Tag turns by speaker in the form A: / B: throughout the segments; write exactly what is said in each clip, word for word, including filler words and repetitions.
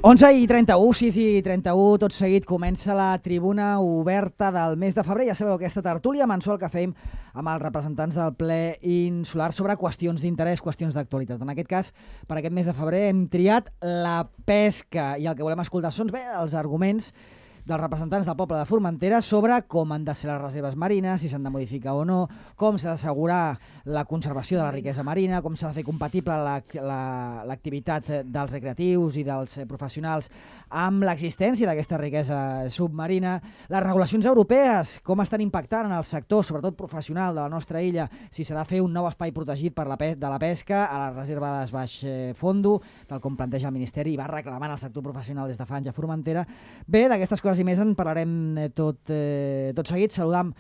A: onze i trenta-u, sis i trenta-u, tot seguit comença la tribuna oberta del mes de febrer. Ja sabeu, aquesta tertúlia mensual que fem amb els representants del ple insular sobre qüestions d'interès, qüestions d'actualitat. En aquest cas, per aquest mes de febrer hem triat la pesca i el que volem escoltar són bé els arguments dels representants del poble de Formentera sobre com han de ser les reserves marines, si s'han de modificar o no, com s'ha d'assegurar la conservació de la riquesa marina, com s'ha de fer compatible l'activitat dels recreatius i dels professionals amb l'existència d'aquesta riquesa submarina, les regulacions europees, com estan impactant en el sector, sobretot professional de la nostra illa, si s'ha de fer un nou espai protegit per la de la pesca a la reserva de Baix Fondo, tal com planteja el Ministeri i va reclamant el sector professional des de fa anys a Formentera. Bé, d'aquestes coses i més en parlarem tot, eh, tot seguit. Saludam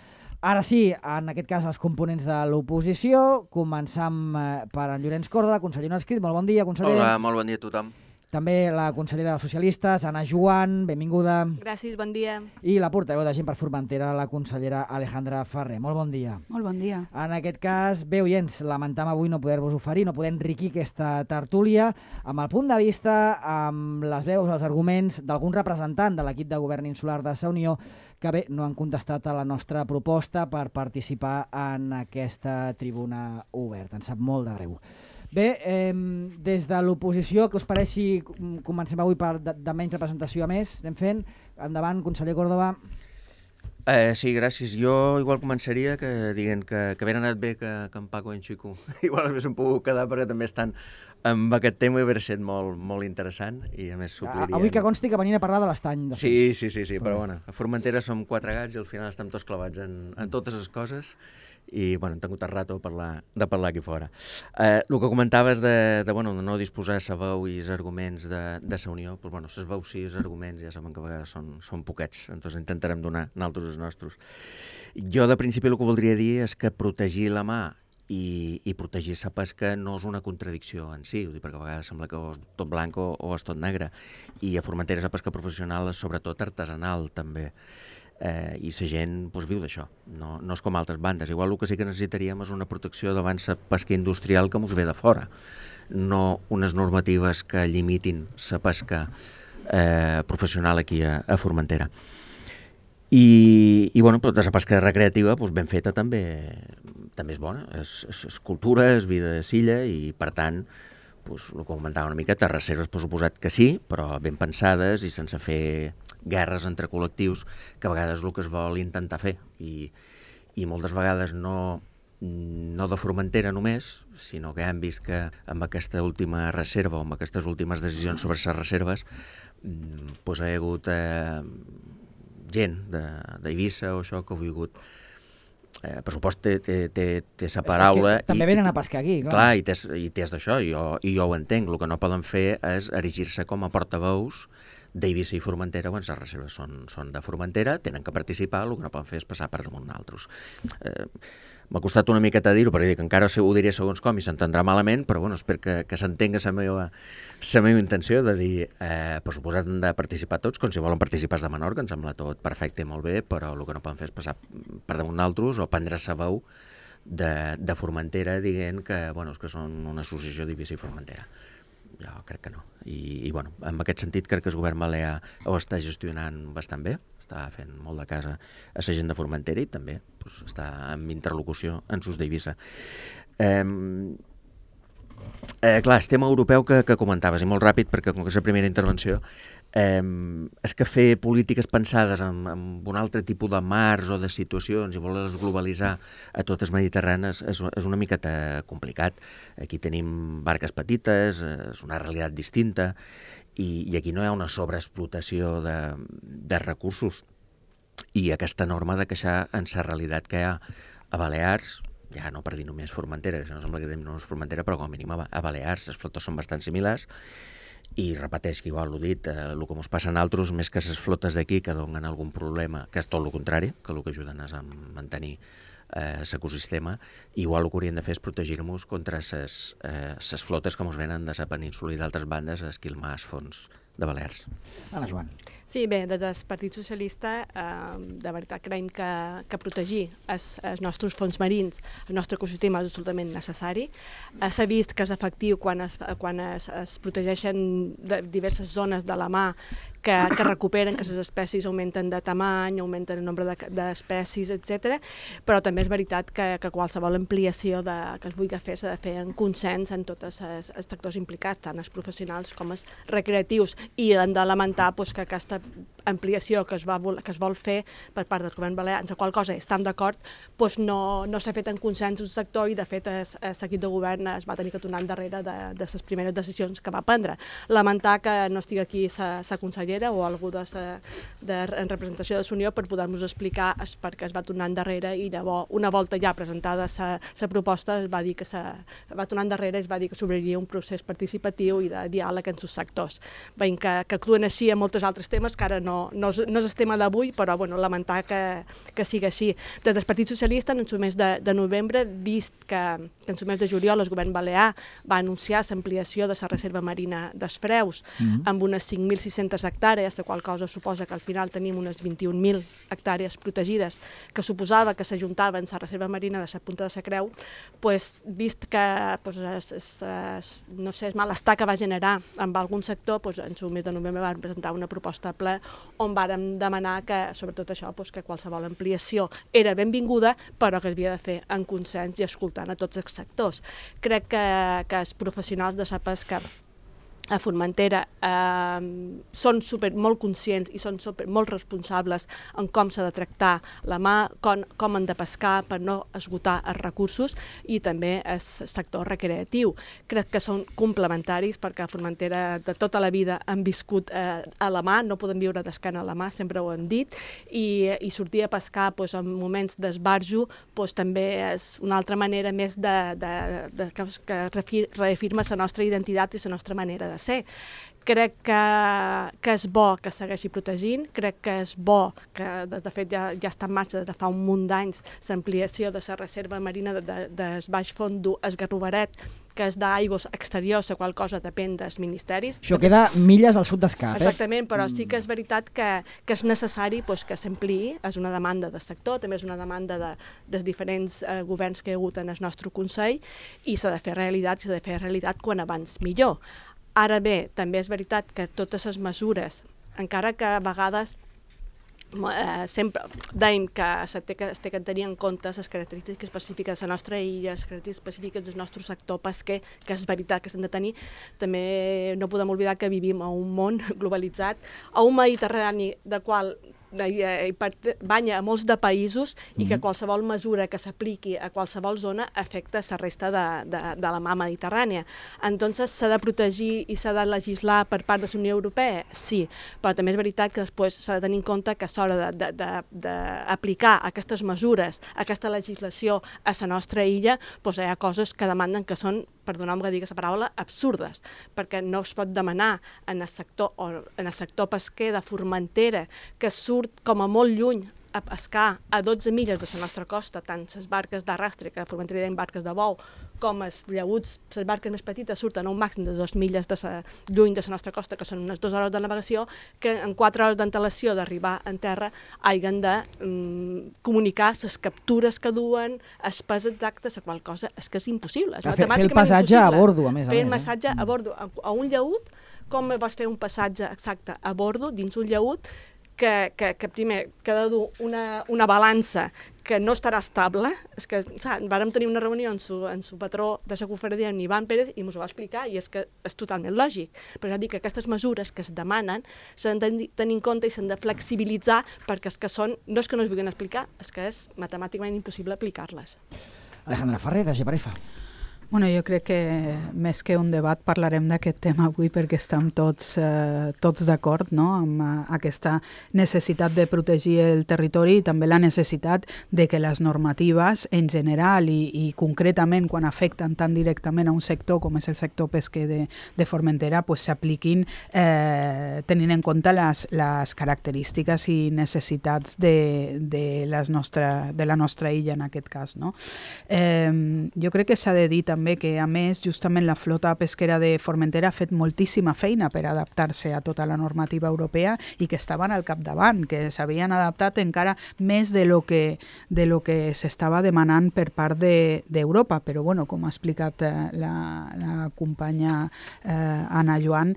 A: ara sí, en aquest cas, els components de l'oposició. Començam eh, per en Llorenç Córdoba, conseller no escrit. Molt bon dia, conseller.
B: Hola, molt bon dia a tothom.
A: També la consellera dels socialistes, Anna Joan, benvinguda.
C: Gràcies, bon dia.
A: I la portaveu de Gent per Formentera, la consellera Alejandra Ferrer. Molt bon dia.
D: Molt bon dia.
A: En aquest cas, bé, oients, lamentam avui no poder-vos oferir, no poder enriquir aquesta tertúlia amb el punt de vista, amb les veus, els arguments d'algun representant de l'equip de govern insular de Sa Unió que bé, no han contestat a la nostra proposta per participar en aquesta tribuna oberta. Ens sap molt de greu. Bé, eh, des de l'oposició, què us pareix si comencem avui per de, de menys representació a més? Anem fent. Endavant, conseller Córdoba.
B: Eh, sí, gràcies. Jo igual començaria que dient que, que havia anat bé que, que en Paco i en Xico igual haguéssim pogut quedar perquè també estan amb aquest tema i hauria estat molt, molt interessant i a més suplirien...
A: Avui que consti que venien a parlar de l'estany.
B: Sí, sí, sí, sí, però bueno, a Formentera som quatre gats i al final estem tots clavats en, en totes les coses i bueno, hem tingut el rato de parlar, de parlar aquí fora. Eh, el que comentaves de, de, bueno, de no disposar de sa veu i els arguments de, de Sa Unió, doncs, bueno, ses veus sí, els arguments ja saben que a vegades són, són poquets, doncs intentarem donar nosaltres els nostres. Jo de principi el que voldria dir és que protegir la mà i, i protegir la pesca no és una contradicció en si, perquè a vegades sembla que o és tot blanc o, o és tot negre, i a Formentera la pesca professional és sobretot artesanal també. Eh, i la gent doncs, viu d'això, no, no és com altres bandes. Igual el que sí que necessitaríem és una protecció davant la pesca industrial que ens ve de fora, no unes normatives que limitin la pesca eh, professional aquí a, a Formentera. I, i bueno, tota la pesca recreativa doncs, ben feta també, també és bona, és, és, és cultura, és vida de s'illa i per tant doncs, el que comentava una miqueta, reserves per suposat que sí, però ben pensades i sense fer guerres entre col·lectius, que a vegades és el que es vol intentar fer. I, i moltes vegades no, no de Formentera només, sinó que hem vist que amb aquesta última reserva o amb aquestes últimes decisions sobre les reserves doncs hi ha hagut eh, gent d'Eivissa o això que ha volgut Eh, per supost té, té, té, té sa paraula...
A: També
B: i,
A: venen a pescar aquí, clar.
B: Clar, i té, i té d'això, i, jo, i jo ho entenc. El que no poden fer és erigir-se com a portaveus d'Eivissa i Formentera, quan les reserves són, són de Formentera, tenen que participar, el que no poden fer és passar per damunt d'altres. Eh, M'ha costat una miqueta dir-ho, perquè dic, encara ho diré segons com i s'entendrà malament, però bueno, espero que, que s'entenga la meva, la meva intenció de dir, eh, per suposat han de participar tots, com si volen participar de menor, que em sembla tot perfecte i molt bé, però el que no poden fer és passar per damunt d'altres o prendre sa veu de, de Formentera dient que, bueno, és que són una associació d'Eivissa i Formentera. Jo crec que no. I, i bueno, en aquest sentit crec que el govern balear ho està gestionant bastant bé, està fent molt de casa a la gent de Formentera i també pues, està en interlocució en sus d'Eivissa. Eh, eh, clar, el tema europeu que, que comentaves, i molt ràpid, perquè com que és la primera intervenció, eh, és que fer polítiques pensades en, en un altre tipus de mars o de situacions i voler-les globalitzar a totes mediterranes és, és una miqueta complicat. Aquí tenim barques petites, és una realitat distinta, i, i aquí no hi ha una sobreexplotació de, de recursos. I aquesta norma de queixar en la realitat que hi ha a Balears, ja no per dir només Formentera, que no sembla que tenim només Formentera, però com a mínim a Balears les flotes són bastant similars, i repeteix que igual l'ho dit, eh, el que ens passa en altres, més que les flotes d'aquí que donen algun problema, que és tot el contrari, que el que ajuden és a mantenir l'ecosistema, igual el que hauríem de fer és protegir-nos contra les eh, flotes que ens venen de la península i d'altres bandes a esquilmar els fons de Balears.
A: Anna Joan.
C: Sí, bé, des del Partit Socialista eh, de veritat creiem que, que protegir els, els nostres fons marins, el nostre ecosistema és absolutament necessari. Eh, S'ha vist que és efectiu quan es, quan es, es protegeixen de diverses zones de la mar que, que recuperen, que les espècies augmenten de tamany, augmenten el nombre d'espècies, de, etcètera. Però també és veritat que, que qualsevol ampliació de, que es vulgui fer s'ha de fer en consens en tots els, els sectors implicats, tant els professionals com els recreatius, i hem de lamentar pues, que aquesta ampliació que es, va, que es vol fer per part del govern balear, en la qual cosa estem d'acord, doncs no, no s'ha fet en consens un sector i de fet el, el seguit de govern es va tenir que tornar endarrere de, de les primeres decisions que va prendre. Lamentar que no estigui aquí la consellera o algú de, sa, de en representació de l'Unió per poder-nos explicar es, per què es va tornar endarrere i llavors una volta ja presentada la proposta es va dir que se va tornar endarrere i es va dir que s'obriria un procés participatiu i de diàleg entre els sectors. Veiem que, que actuen així en molts altres temes que ara no No és, no és el tema d'avui, però bueno, lamentar que, que sigui així. Des del Partit Socialista, en el mes de, de novembre, vist que, que en el mes de juliol el govern balear va anunciar l'ampliació de la reserva marina dels Freus mm-hmm. amb unes cinc mil sis-centes hectàrees, la qual cosa suposa que al final tenim unes vint-i-un mil hectàrees protegides, que suposava que s'ajuntaven a la reserva marina de la Punta de la Creu, pues, vist que pues, es, es, es, no sé, el malestar que va generar amb algun sector, pues, en el mes de novembre van presentar una proposta a ple on vàrem demanar que, sobretot això, doncs, que qualsevol ampliació era benvinguda, però que havia de fer en consens i escoltant a tots els sectors. Crec que, que els professionals de la pesca a Formentera eh, són super, molt conscients i són super, molt responsables en com s'ha de tractar la mà, com, com han de pescar per no esgotar els recursos i també el sector recreatiu. Crec que són complementaris perquè a Formentera de tota la vida han viscut eh, a la mà, no podem viure d'escana a la mà, sempre ho hem dit, i, i sortir a pescar pues, en moments d'esbarjo pues, també és una altra manera més de, de, de, que, que reafirma la nostra identitat i la nostra manera de ser. Crec que, que és bo que es segueixi protegint, crec que és bo que, de, de fet, ja, ja està en marxa des de fa un munt d'anys l'ampliació de la reserva marina de, de, del Baix Fondo, el Garrovaret, que és d'aigües exteriors, la qual cosa depèn dels ministeris.
A: Això queda milles al sud d'Escap, eh?
C: Exactament, però sí que és veritat que, que és necessari pues, que s'ampliï, és una demanda del sector, també és una demanda de, dels diferents eh, governs que hi ha hagut en el nostre Consell, i s'ha de fer realitat, s'ha de fer realitat quan abans millor. Ara bé, també és veritat que totes les mesures, encara que a vegades eh, sempre dèiem que es té que, es té que tenir en compte les característiques específiques de la nostra illa, les característiques específiques del nostre sector pesquer, que és veritat que s'han de tenir, també no podem oblidar que vivim a un món globalitzat, a un Mediterrani de qual banya a molts de països i que qualsevol mesura que s'apliqui a qualsevol zona afecta la resta de, de, de la mar mediterrània. Entonces s'ha de protegir i s'ha de legislar per part de la Unió Europea? Sí, però també és veritat que després s'ha de tenir en compte que a l'hora d'aplicar aquestes mesures, aquesta legislació a la nostra illa, doncs hi ha coses que demanden que són, perdoneu-me que digui la paraula, absurdes, perquè no es pot demanar en el sector, o en el sector pesquer de Formentera, que surt com a molt lluny a pescar a dotze milles de la nostra costa, tant les barques d'arrastre, que a Formentera hi ha barques de bou, com els llauts, les barques més petites surten a un màxim de dos milles de sa, lluny de la nostra costa, que són unes dues hores de navegació, que en quatre hores d'antelació d'arribar en terra hagin de um, comunicar les captures que duen, els pes exactes, la qual cosa és que és impossible. És
A: fer, fer el passatge impossible. A bordo, a més a
C: fer
A: més.
C: Fer el passatge eh? a bordo, a, a un llaut, com vols fer un passatge exacte a bordo, dins un llaut, que, que, que primer que ha de dur una, una balança que no estarà estable. És que, saps, vàrem tenir una reunió amb su, amb su patró de la confraria, en Ivan Pérez, i ens ho va explicar, i és que és totalment lògic. Però ja dic que aquestes mesures que es demanen s'han de tenir en compte i s'han de flexibilitzar, perquè és que són, no és que no es vulguin explicar, és que és matemàticament impossible aplicar-les.
A: Alejandra Ferrer, de Geparefa.
D: Bueno, jo crec que més que un debat parlarem d'aquest tema avui perquè estem tots, eh, tots d'acord, no?, amb uh, aquesta necessitat de protegir el territori i també la necessitat de que les normatives en general i, i concretament quan afecten tan directament a un sector com és el sector pesquer de, de Formentera pues, s'apliquin eh, tenint en compte les, les característiques i necessitats de, de, les nostra, de la nostra illa en aquest cas, no? Eh, jo crec que s'ha de dir també també que, a més, justament la flota pesquera de Formentera ha fet moltíssima feina per adaptar-se a tota la normativa europea i que estaven al capdavant, que s'havien adaptat encara més de lo que, de lo que s'estava demanant per part d'Europa. Però, bueno, com ha explicat eh, la, la companya eh, Anna Joan,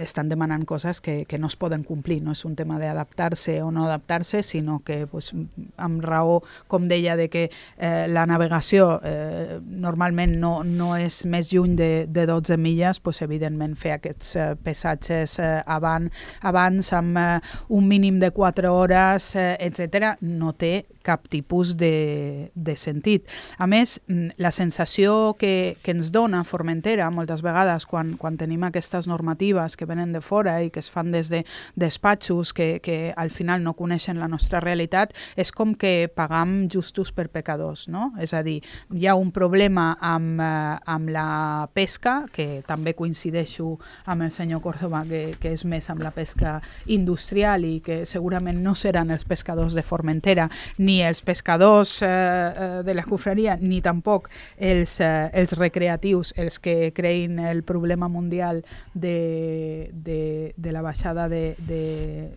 D: estan demanant coses que, que no es poden complir. No és un tema d'adaptar-se o no adaptar-se, sinó que, pues, amb raó, com deia, de que eh, la navegació eh, normalment no, no és més lluny de, de dotze milles, pues, evidentment fer aquests eh, passatges eh, avant, abans amb eh, un mínim de quatre hores, eh, etcètera, no té cap tipus de, de sentit. A més, la sensació que, que ens dona Formentera moltes vegades quan, quan tenim aquestes normatives que venen de fora i que es fan des de despatxos que, que al final no coneixen la nostra realitat, és com que pagam justos per pecadors, no? És a dir, hi ha un problema amb, eh, amb la pesca, que també coincideixo amb el senyor Córdoba, que, que és més amb la pesca industrial i que segurament no seran els pescadors de Formentera ni els pescadors eh, de la confraria, ni tampoc els, eh, els recreatius, els que creïn el problema mundial de, de, de la baixada de, de,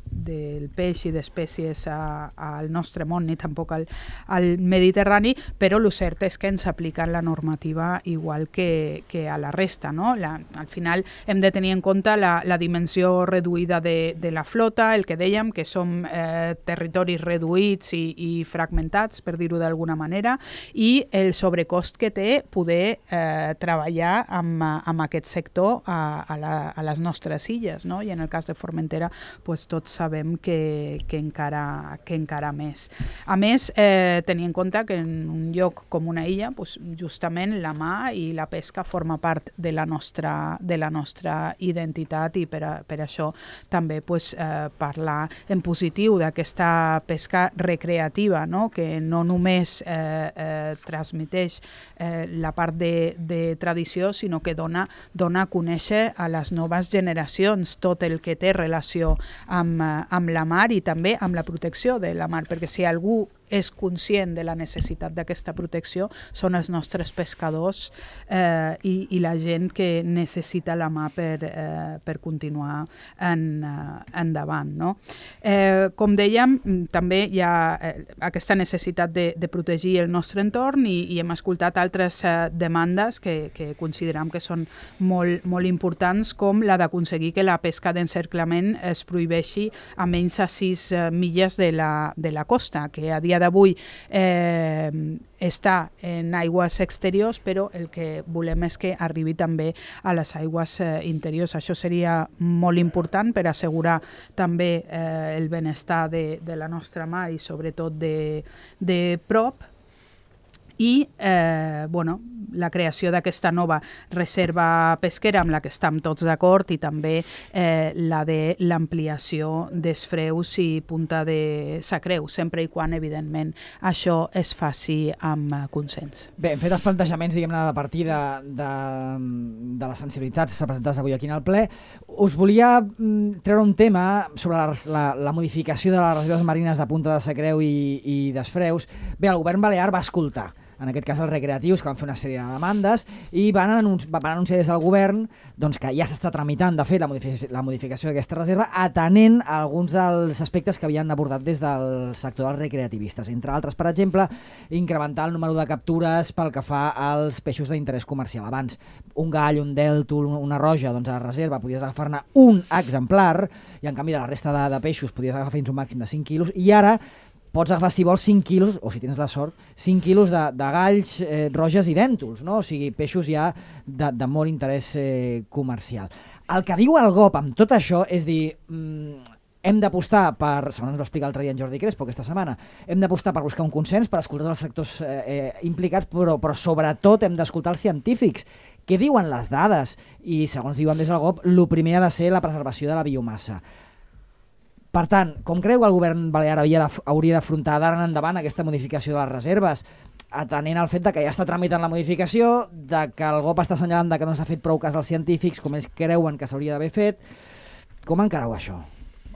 D: del peix i d'espècies al nostre món, ni tampoc al, al Mediterrani, però el cert és que ens apliquen la normativa igual que, que a la resta, no? La, al final hem de tenir en compte la, la dimensió reduïda de, de la flota, el que dèiem, que som eh, territoris reduïts i, i fragmentats, per dir-ho d'alguna manera, i el sobrecost que té poder eh, treballar amb, amb aquest sector a, a, la, a les nostres illes, no? I en el cas de Formentera pues, tots sabem que, que, encara, que encara més. A més, eh, tenir en compte que en un lloc com una illa, pues, justament la mà i la pesca forma part de la nostra, de la nostra identitat i per, a, per això també pues, eh, parlar en positiu d'aquesta pesca recreativa, no? Que no només eh, eh, transmeteix eh, la part de, de tradició, sinó que dona, dona a conèixer a les noves generacions tot el que té relació amb, amb la mar i també amb la protecció de la mar, perquè si algú és conscient de la necessitat d'aquesta protecció són els nostres pescadors eh, i, i la gent que necessita la mà per, eh, per continuar en, uh, endavant. No? Eh, com dèiem, també hi ha eh, aquesta necessitat de, de protegir el nostre entorn i, i hem escoltat altres eh, demandes que, que considerem que són molt, molt importants, com la d'aconseguir que la pesca d'encerclament es prohibeixi a menys a sis eh, milles de la, de la costa, que a dia d'avui eh, està en aigües exteriors, però el que volem és que arribi també a les aigües eh, interiors. Això seria molt important per assegurar també eh, el benestar de, de la nostra mar i sobretot de, de prop. I eh, bueno, la creació d'aquesta nova reserva pesquera amb la que estem tots d'acord i també eh, la de l'ampliació dels freus i punta de Sacreu, sempre i quan, evidentment, això es faci amb consens.
A: Bé, hem fet els plantejaments, diguem-ne, de partida de, de les sensibilitats representades avui aquí en el ple. Us volia mm, treure un tema sobre la, la, la modificació de les reserves marines de Punta de Sacreu i, i d'Esfreus. Bé, el govern balear va escoltar en aquest cas els recreatius, que van fer una sèrie de demandes, i van, anunci van anunciar des del govern doncs, que ja s'està tramitant, de fet, la, modific la modificació d'aquesta reserva, atenent a alguns dels aspectes que havien abordat des del sector dels recreativistes. Entre altres, per exemple, incrementar el número de captures pel que fa als peixos d'interès comercial. Abans, un gall, un dèltul, una roja, doncs a la reserva podies agafar-ne un exemplar, i en canvi de la resta de, de peixos podies agafar fins un màxim de cinc quilos, i ara pots agafar, si vols, cinc quilos, o si tens la sort, cinc quilos de, de galls, eh, roges i dèntols, no? O sigui, peixos ja de, de molt interès eh, comercial. El que diu el G O P amb tot això és dir, mm, hem d'apostar per, segons ens va explicar l'altre dia en Jordi Crespo aquesta setmana, hem d'apostar per buscar un consens, per escoltar els sectors eh, eh, implicats, però, però sobretot hem d'escoltar els científics. Què diuen les dades? I, segons diuen des del G O P, el primer ha de ser la preservació de la biomassa. Per tant, com creu que el govern balear havia de, hauria d'afrontar d'ara en endavant aquesta modificació de les reserves, atenent al fet de que ja està tramitant la modificació, de que el G O P està assenyalant de que no s'ha fet prou cas als científics, com ells creuen que s'hauria d'haver fet, com encareu això?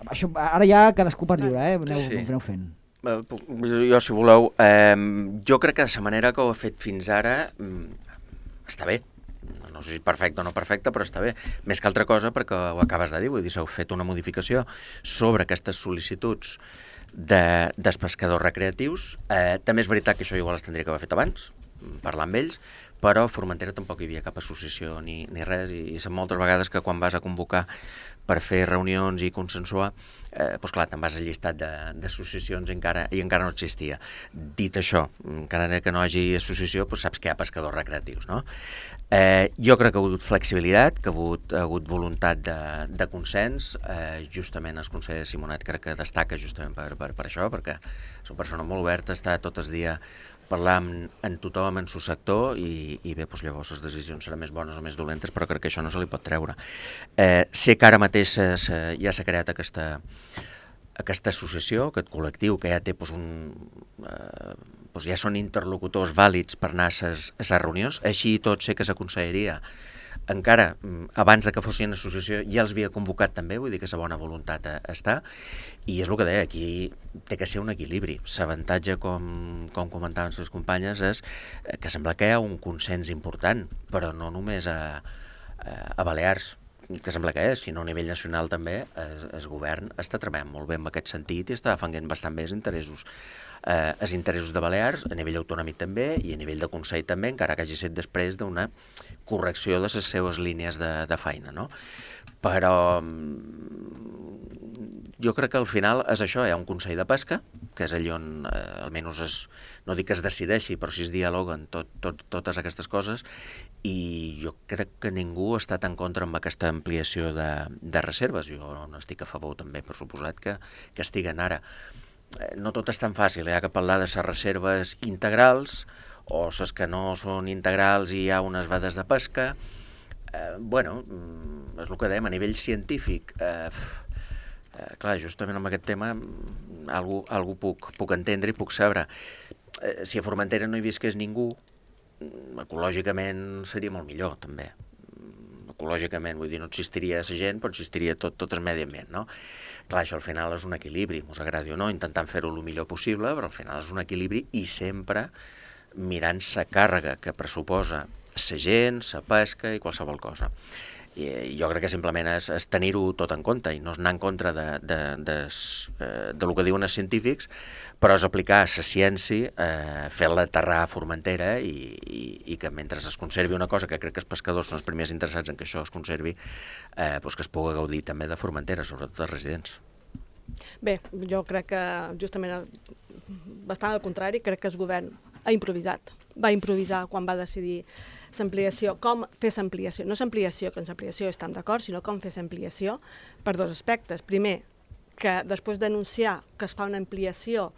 A: Això? Ara ja cadascú per lliure, eh? Aneu, sí. aneu fent.
B: Jo, si voleu, eh, jo crec que de la manera que ho he fet fins ara està bé. No sé si perfecte o no perfecte, però està bé. Més que altra cosa, perquè ho acabes de dir, vull dir, s'heu fet una modificació sobre aquestes sol·licituds de, dels pescadors recreatius. Eh, també és veritat que això igual es tindria que haver fet abans, parlar amb ells, però a Formentera tampoc hi havia cap associació ni, ni res, i, i són moltes vegades que quan vas a convocar per fer reunions i consensuar, eh, doncs clar, te'n vas al llistat d'associacions i encara, i encara no existia. Dit això, encara que no hi hagi associació, doncs saps que hi ha pescadors recreatius, no? Eh, jo crec que ha hagut flexibilitat, que ha hagut, ha hagut voluntat de, de consens, eh, justament el conseller Simonet crec que destaca justament per, per, per això, perquè és una persona molt oberta, està tot el dia parlar amb, amb tothom en el sector i, i bé, doncs llavors les decisions seran més bones o més dolentes, però crec que això no se li pot treure. Eh, sé que ara mateix se, se, ja s'ha creat aquesta, aquesta associació, aquest col·lectiu que ja té doncs, un, eh, doncs ja són interlocutors vàlids per anar a les reunions, així i tot sé que s'aconsellaria encara abans de que fossin associació ja els havia convocat també, vull dir que la bona voluntat està, i és el que deia, aquí té que ser un equilibri. L'avantatge, com, com comentaven les companyes, és que sembla que hi ha un consens important, però no només a, a Balears, que sembla que és, sinó a nivell nacional també el, el govern està treballant molt bé en aquest sentit i està defendent bastant bé els interessos. Eh, els interessos de Balears, a nivell autonòmic també, i a nivell de Consell també, encara que hagi estat després d'una correcció de les seves línies de, de feina, no? Però jo crec que al final és això, hi ha un Consell de Pesca, que és allà on eh, almenys es, no dic que es decideixi, però sí es dialoguen tot, tot, totes aquestes coses, i jo crec que ningú ha estat en contra amb aquesta ampliació de, de reserves. Jo no estic a favor també, per suposat, que, que estiguen ara. No tot és tan fàcil, hi ha que parlar de les reserves integrals o les que no són integrals i hi ha unes vedes de pesca. Eh, bueno, és el que dèiem, a nivell científic, eh, eh, clar, justament amb aquest tema algú, algú puc, puc entendre i puc saber. Eh, si a Formentera no hi visqués ningú, ecològicament seria molt millor, també. Ecològicament, vull dir, no existiria la gent, però existiria tot, tot el medi ambient, no? Clar, això al final és un equilibri, us agradi o no, intentant fer-ho el millor possible, però al final és un equilibri i sempre mirant la càrrega que pressuposa la gent, la pesca i qualsevol cosa. I jo crec que simplement és, és tenir-ho tot en compte i no és anar en contra de, de, de, de, de lo que diuen els científics, però és aplicar la ciència, eh, fer-la aterrar a Formentera i, i, i que mentre es conservi una cosa que crec que els pescadors són els primers interessats en que això es conservi, eh, doncs que es pugui gaudir també de Formentera, sobretot els residents.
C: Bé, jo crec que justament bastant al contrari, crec que el govern ha improvisat, va improvisar quan va decidir l'ampliació, com fer l'ampliació, no l'ampliació, que en l'ampliació estem d'acord, sinó com fer l'ampliació per dos aspectes. Primer, que després d'anunciar que es fa una ampliació,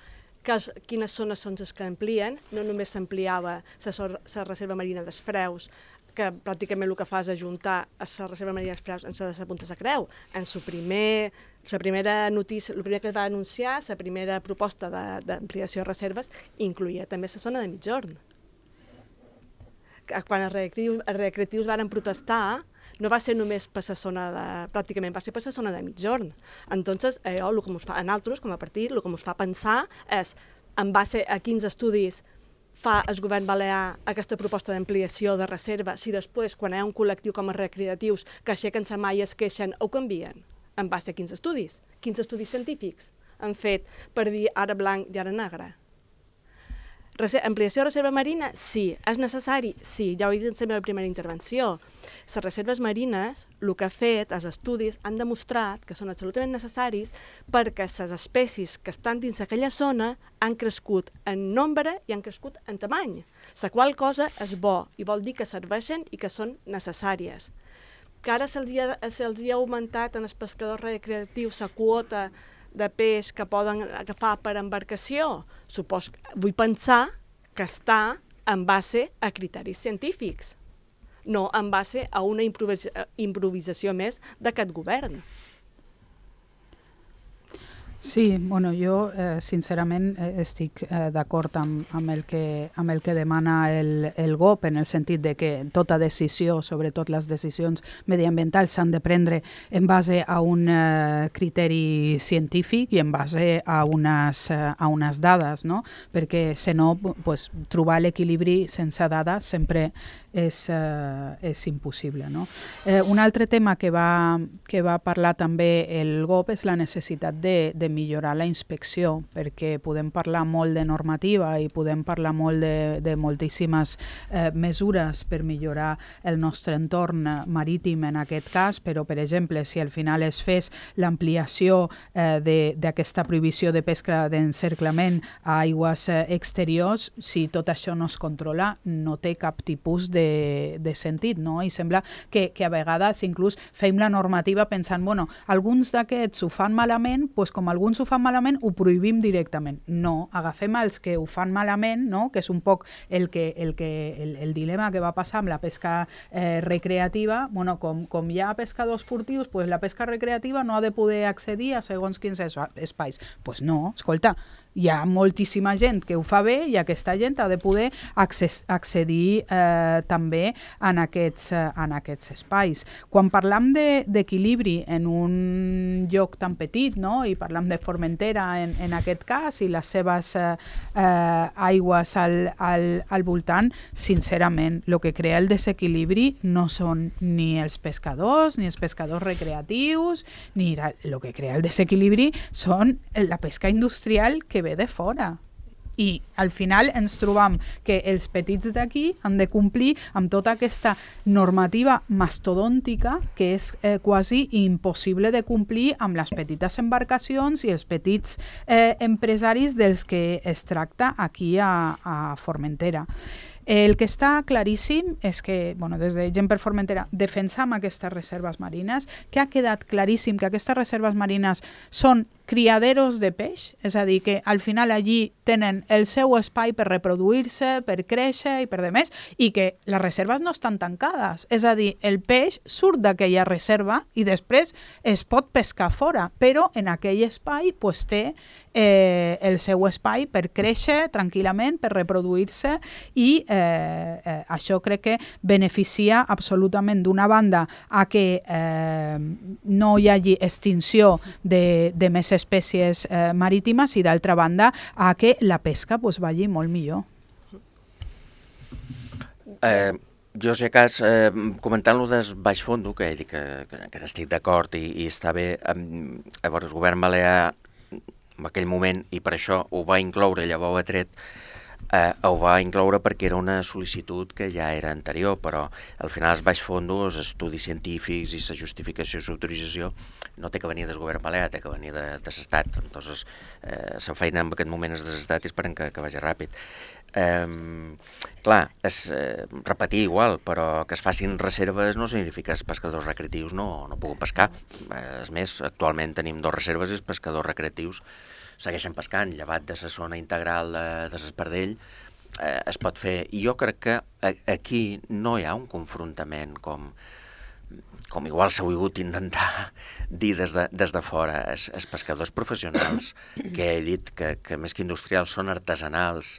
C: que es, quines zones són les que amplien, no només s'ampliava la reserva marina dels Freus, que pràcticament el que fa és ajuntar la reserva marina dels Freus en la de Punta de Creu. En la primer, la primera notícia, el primer que es va anunciar, la primera proposta d'ampliació de, de reserves, incluïa també la zona de Migjorn. Quan els recreatius, els recreatius varen protestar, no va ser només per la zona de... pràcticament va ser per la zona de Migjorn. Entonces, allò, el que ens fa, a nosaltres, com a partit, el que ens fa pensar és en base a quins estudis fa el govern balear aquesta proposta d'ampliació de reserva, si després, quan hi ha un col·lectiu com els recreatius que aixequen la mà i es queixen, ho canvien? En base a quins estudis? Quins estudis científics han fet per dir ara blanc i ara negre? Ampliació de reserva marina? Sí. És necessari? Sí. Ja ho he dit en la meva primera intervenció. Les reserves marines, el que ha fet, els estudis, han demostrat que són absolutament necessaris perquè les espècies que estan dins aquella zona han crescut en nombre i han crescut en tamany. La qual cosa és bo i vol dir que serveixen i que són necessàries. Que ara se'ls ha, se ha augmentat en els pescadors recreatius la quota de peix que poden agafar per embarcació, supos, vull pensar que està en base a criteris científics, no en base a una improvisa- improvisació més d'aquest govern.
D: Sí, bueno, jo eh, sincerament eh, estic eh, d'acord amb, amb, el que, amb el que demana el, el G O P, en el sentit de que tota decisió, sobretot les decisions mediambientals, s'han de prendre en base a un eh, criteri científic i en base a unes, eh, a unes dades, no? Perquè, si no, pues, trobar l'equilibri sense dades sempre és, eh, és impossible, no? Eh, un altre tema que va, que va parlar també el G O P és la necessitat de, de millorar la inspecció, perquè podem parlar molt de normativa i podem parlar molt de, de moltíssimes eh, mesures per millorar el nostre entorn marítim en aquest cas, però, per exemple, si al final es fes l'ampliació eh, d'aquesta prohibició de pesca d'encerclament a aigües eh, exteriors, si tot això no es controla, no té cap tipus de, de sentit, no? I sembla que, que a vegades inclús fem la normativa pensant, bueno, alguns d'aquests ho fan malament, doncs com alguns ho fan malament, ho prohibim directament. No, agafem els que ho fan malament, no? Que és un poc el, que, el, que, el, el dilema que va passar amb la pesca eh, recreativa. Bueno, com, com hi ha pescadors furtius, pues la pesca recreativa no ha de poder accedir a segons quins espais. Doncs pues no, escolta, hi ha moltíssima gent que ho fa bé i aquesta gent ha de poder accés, accedir eh, també en aquests, eh, en aquests espais. Quan parlam d'equilibri de, en un lloc tan petit, no? I parlam de Formentera en, en aquest cas i les seves eh, eh, aigües al, al, al voltant, sincerament, el que crea el desequilibri no són ni els pescadors, ni els pescadors recreatius, ni el que crea el desequilibri són la pesca industrial que ve de fora. I al final ens trobam que els petits d'aquí han de complir amb tota aquesta normativa mastodòntica que és eh, quasi impossible de complir amb les petites embarcacions i els petits eh, empresaris dels que es tracta aquí a, a Formentera. El que està claríssim és que, bueno, des de Gent per Formentera defensam aquestes reserves marines, que ha quedat claríssim que aquestes reserves marines són criaderos de peix, és a dir, que al final allí tenen el seu espai per reproduir-se, per créixer i per demés, i que les reserves no estan tancades. És a dir, el peix surt d'aquella reserva i després es pot pescar fora, però en aquell espai pues, té eh, el seu espai per créixer tranquil·lament, per reproduir-se i eh, eh, això crec que beneficia absolutament d'una banda a que eh, no hi hagi extinció de, de més espècies eh, marítimes i d'altra banda a que la pesca pues, vagi molt millor.
B: Eh, jo, si a cas, eh, comentant-lo del baix fondo, que he dit que, que, que estic d'acord i, i està bé, eh, llavors el govern balear en aquell moment, i per això ho va incloure, llavors ho ha tret, eh, ho va incloure perquè era una sol·licitud que ja era anterior, però al final els baix fondos, els estudis científics i la justificació i l'autorització no té que venir del govern balear, té que venir de, de l'Estat. Entonces, eh, la feina en aquest moment és de l'Estat i esperem que, que vagi ràpid. Eh, clar, és eh, repetir igual, però que es facin reserves no significa que els pescadors recreatius no, no puguin pescar. Eh, és més, actualment tenim dos reserves i els pescadors recreatius segueixen pescant, llevat de la zona integral de, de l'Espardell, eh, es pot fer. I jo crec que a, aquí no hi ha un confrontament com, com igual s'ha volgut intentar dir des de, des de fora. Els, els pescadors professionals, que he dit que, que més que industrials són artesanals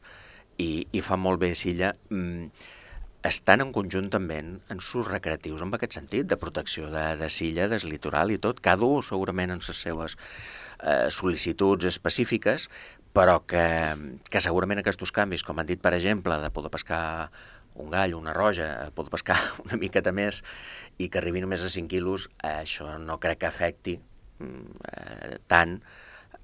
B: i, i fan molt bé silla, mm, estan en conjuntament en sus recreatius en aquest sentit, de protecció de, de silla, del litoral i tot, cada un segurament en les seves eh, sol·licituds específiques, però que, que segurament aquests canvis, com han dit, per exemple, de poder pescar un gall, una roja, poder pescar una miqueta més i que arribi només a cinc quilos, eh, això no crec que afecti eh, tant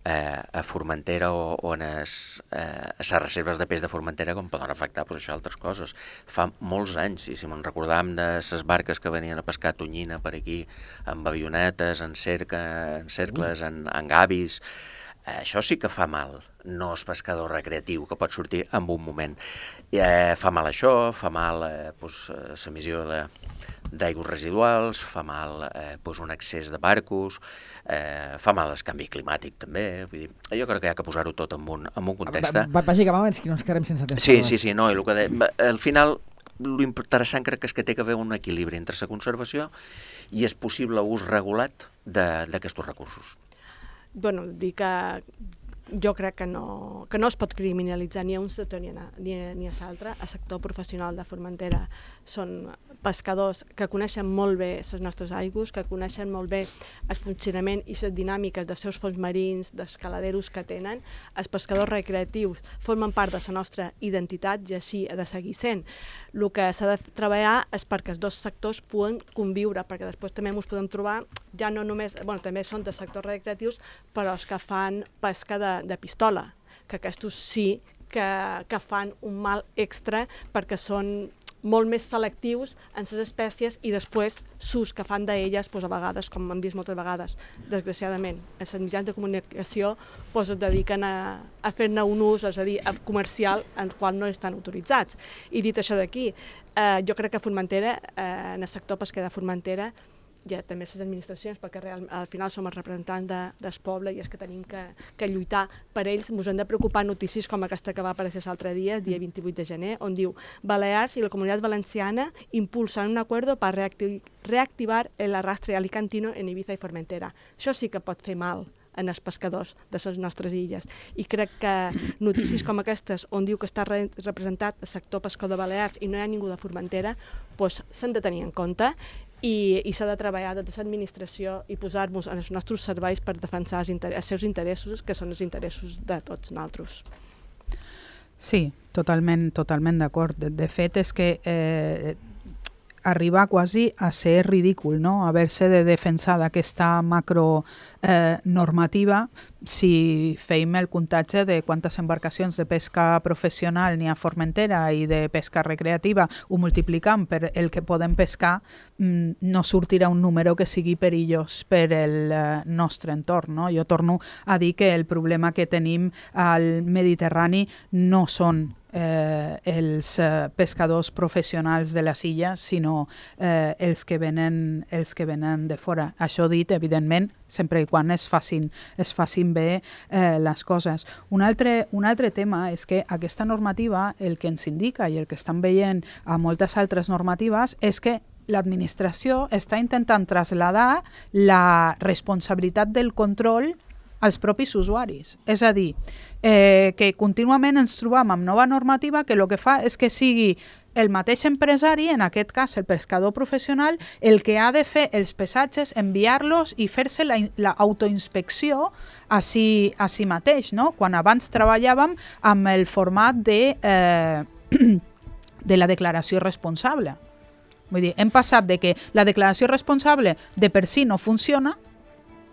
B: eh, a Formentera o, o en es, eh, a les reserves de peix de Formentera com poden afectar pues, això altres coses. Fa molts anys, i si me'n recordàvem de les barques que venien a pescar tonyina per aquí, amb avionetes, en, cerca, en cercles, en, en gavis, eh, això sí que fa mal. No és pescador recreatiu que pot sortir en un moment. Eh, fa mal això, fa mal eh, pues, l'emissió de d'aigües residuals, fa mal eh, pues un excés de barcos, eh, fa mal el canvi climàtic també. Vull dir, jo crec que hi ha que posar-ho tot en un, en un context.
A: Bàsicament, que no ens quedem sense temps.
B: Sí, sí, sí, no, i el que de, al final l'interessant crec que és que té que haver un equilibri entre la conservació i el possible ús regulat d'aquests recursos.
C: bueno, dir que jo crec que no, que no es pot criminalitzar ni a un sector ni a, ni a, ni a l'altre. El sector professional de Formentera són pescadors que coneixen molt bé les nostres aigües, que coneixen molt bé el funcionament i les dinàmiques dels seus fons marins, dels caladeros que tenen. Els pescadors recreatius formen part de la nostra identitat i així ha de seguir sent. El que s'ha de treballar és perquè els dos sectors puguen conviure, perquè després també ens podem trobar, ja no només, bueno, també són de sectors recreatius, però els que fan pesca de, de pistola, que aquests sí que, que fan un mal extra perquè són molt més selectius en les espècies i després s'ús que fan d'elles, doncs, a vegades, com hem vist moltes vegades, desgraciadament, els mitjans de comunicació doncs, es dediquen a, a fer-ne un ús, és a dir, comercial, en el qual no estan autoritzats. I dit això d'aquí, eh, jo crec que Formentera, eh, en el sector pesquer de Formentera, hi ha també les administracions, perquè real, al final som els representants de, del poble i és que tenim que, que lluitar per ells. Ens han de preocupar notícies com aquesta que va aparèixer l'altre dia, el dia vint-i-vuit de gener, on diu Balears i la Comunitat Valenciana impulsan un acuerdo para reactiv reactivar el arrastre alicantino en Ibiza i Formentera. Això sí que pot fer mal en els pescadors de les nostres illes. I crec que notícies com aquestes, on diu que està re representat el sector pescador de Balears i no hi ha ningú de Formentera, doncs s'han de tenir en compte i, i s'ha de treballar des de l'administració i posar-nos en els nostres serveis per defensar els, els seus interessos, que són els interessos de tots nosaltres.
D: Sí, totalment, totalment d'acord. De, de fet, és que eh, arriba quasi a ser ridícul, no?, haver-se de defensar d'aquesta macro eh, normativa si feim el comptatge de quantes embarcacions de pesca professional n'hi ha a Formentera i de pesca recreativa, ho multiplicam per el que podem pescar, mm, no sortirà un número que sigui perillós per el eh, nostre entorn, no? Jo torno a dir que el problema que tenim al Mediterrani no són Eh, els eh, pescadors professionals de les illes, sinó eh, els, que venen, els que venen de fora. Això dit, evidentment, sempre i quan es facin, es facin bé eh, les coses. Un altre, un altre tema és que aquesta normativa, el que ens indica i el que estan veient a moltes altres normatives, és que l'administració està intentant traslladar la responsabilitat del control als propis usuaris. És a dir, eh, que contínuament ens trobam amb nova normativa que el que fa és que sigui el mateix empresari, en aquest cas el pescador professional, el que ha de fer els pesatges, enviar-los i fer-se l'autoinspecció a si, a si mateix, no? Quan abans treballàvem amb el format de, eh, de la declaració responsable. Vull dir, hem passat de que la declaració responsable de per si no funciona,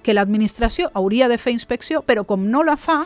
D: que l'administració hauria de fer inspecció, però com no la fa,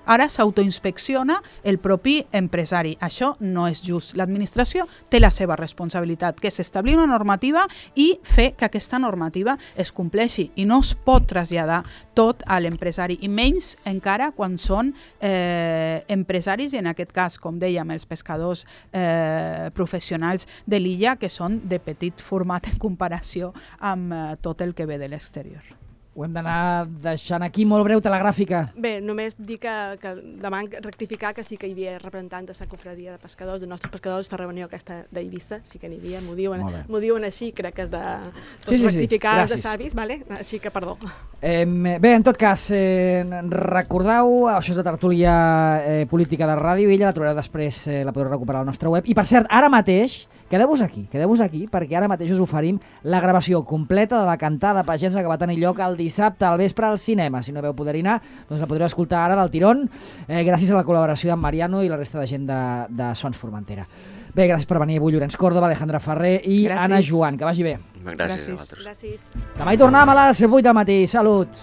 D: ara s'autoinspecciona el propi empresari. Això no és just. L'administració té la seva responsabilitat, que és establir una normativa i fer que aquesta normativa es compleixi. I no es pot traslladar tot a l'empresari, i menys encara quan són eh, empresaris, i en aquest cas, com dèiem, els pescadors eh, professionals de l'illa, que són de petit format en comparació amb eh, tot el que ve de l'exterior.
A: Ho hem d'anar deixant aquí, molt breu, telegràfica.
C: Bé, només dir que, que demà rectificar que sí que hi havia representants de la cofradia de pescadors, de nostres pescadors, aquesta reunió aquesta d'Eivissa, sí que n'hi havia, m'ho diuen, diuen així, crec que és de
A: sí, sí,
C: rectificar
A: sí.
C: de savis, vale? Així que perdó.
A: Eh, bé, en tot cas, eh, recordeu, això és la tertúlia eh, política de Ràdio Illa, la trobareu després, eh, la podreu recuperar al nostre web. I per cert, ara mateix, quedeu-vos aquí, quedeu-vos aquí, perquè ara mateix us oferim la gravació completa de la cantada pagesa que va tenir lloc el dissabte al vespre al cinema. Si no veu poder anar, doncs la podreu escoltar ara del tirón, eh, gràcies a la col·laboració d'en Mariano i la resta de gent de, de Sons Formentera. Bé, gràcies per venir avui, Llorenç Córdoba, Alejandra Ferrer i gràcies. Anna Joan. Que vagi bé.
B: Gràcies, gràcies a vosaltres.
C: Gràcies.
A: Demà hi tornem a les vuit del matí. Salut!